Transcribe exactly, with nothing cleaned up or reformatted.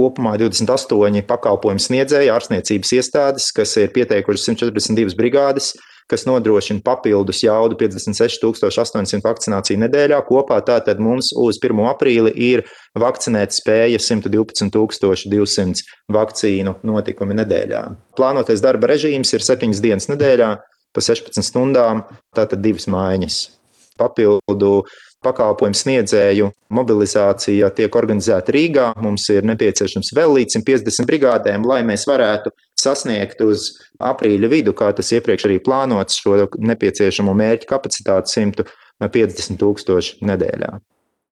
kopumā divdesmit astoņi pakalpojumu sniedzēji, ārstniecības iestādes, kas ir pieteikuši simt četrdesmit divas brigādes, kas nodrošina papildus jaudu piecdesmit seši tūkstoši astoņsimt vakcināciju nedēļā. Kopā tātad mums uz pirmo aprīli ir vakcinēt spēja simt divpadsmit tūkstoši divsimt vakcīnu notikumi nedēļā. Plānotais darba režīms ir septiņas dienas nedēļā pa sešpadsmit stundām, tātad divas maiņas. Papildu pakalpojumu sniedzēju mobilizācija tiek organizēta Rīgā. Mums ir nepieciešams vēl līdz simt piecdesmit brigādēm, lai mēs varētu sasniegt uz aprīļa vidu, kā tas iepriekš arī plānots, šo nepieciešamo mērķu kapacitāti simt piecdesmit tūkstoši nedēļā.